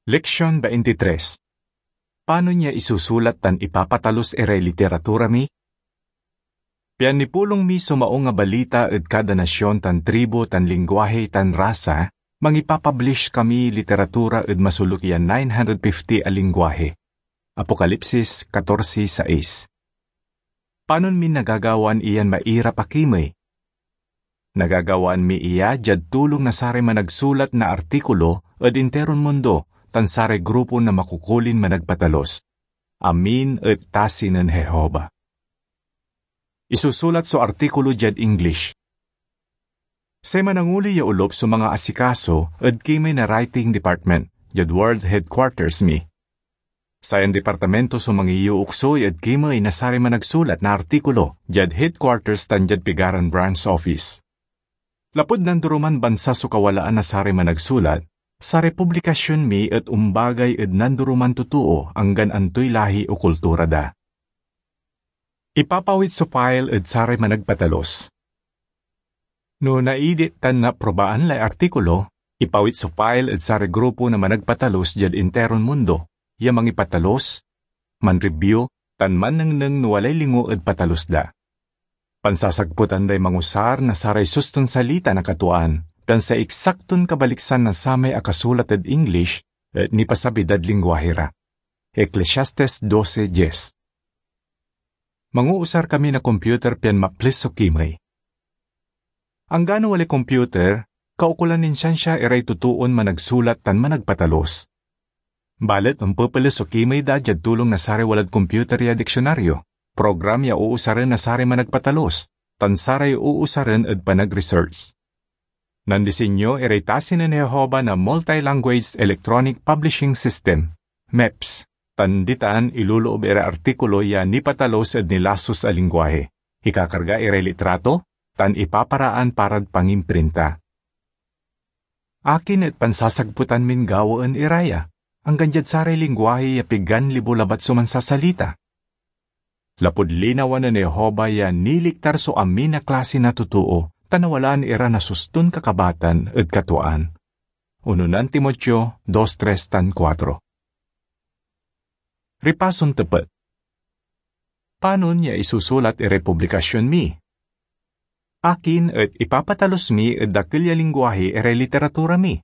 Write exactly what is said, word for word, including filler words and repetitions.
Leksyon twenty-three. Panon ya isusulat tan ipapatalus iray literatura mi? Pian nipulong mi so Maung a Balita ed kada nasion tan tribu tan lingwahe tan rasa, mangipapablish kami literatura ed masoluk ya nine hundred fifty a lingwahe. Apokalipsis catorce sais. Panon mi nagagawan iyan mairap a kimey? Nagagawaan mi iya diad tulong na saray managsulat na artikulo ed interon mundo tan saray grupo na makukulin managpatalus. Amin et tasi nen Jehovah. Isusulat so artikulo diad English. Say mananguli ya olup so mangaasikaso ed kimey na writing department diad World Headquarters mi. Sayan departamento so mangiyooksoy ed kimey na saray managsulat na artikulo diad headquarters tan diad pigaran branch office. Lapud nandoroman bansa so kawalaan na saray managsulat, saray publikasyon mi et ombagay ed nandoroman totoo anggan antoy lahi o kultura da. Ipapawit so file ed saray managpatalus. No naidit tan naaprobaan lay artikulo, ipawit so file ed saray grupo na managpatalus diad interon mundo, ya mangipatalus, manribyu, tan mannengneng no walay lingo ed patalus da. Pansasagputan day mangusar na saray suston salita na katuaan, tan say eksakton kabaliksan na samay akasulat ed English et nipasabi dad lingwahe ra. Eclesiastes doce diez. Manguusar kami na computer pian maples so kimey. Anggano walay computer, kaukolan nin siansia iray totoon managsulat tan managpatalus. Balet ompepeles so kimey da diad tulong na saray walad computer ya diksionaryo, program ya uusaren na saray managpatalus, tan saray uusaren ed panag-research. Nandisinyo iray tasi nen Jehovah na multi-language electronic publishing system, MEPS, tan ditan iloloob iray artikulo ya nipatalus ed nilasus a lingwahe, ikakarga iray litrato, tan ipaparaan parad pangimprinta. Akin et pansasagputan min gawaen ira ya, anggan diad saray lingwahe ya pigan libo labat so mansasalita? Lapud linawa nen Jehovah ya niliktar so amin a klase na totoo, ta nawalaan ira na suston kakabatan ed katuaan. Unonan Timoteo dos tres tan kuatro. Ripason tepet. Panon ya isusulat iray publikasyon mi? Akin et ipapatalus mi ed dakel ya lingwahe iray literatura mi?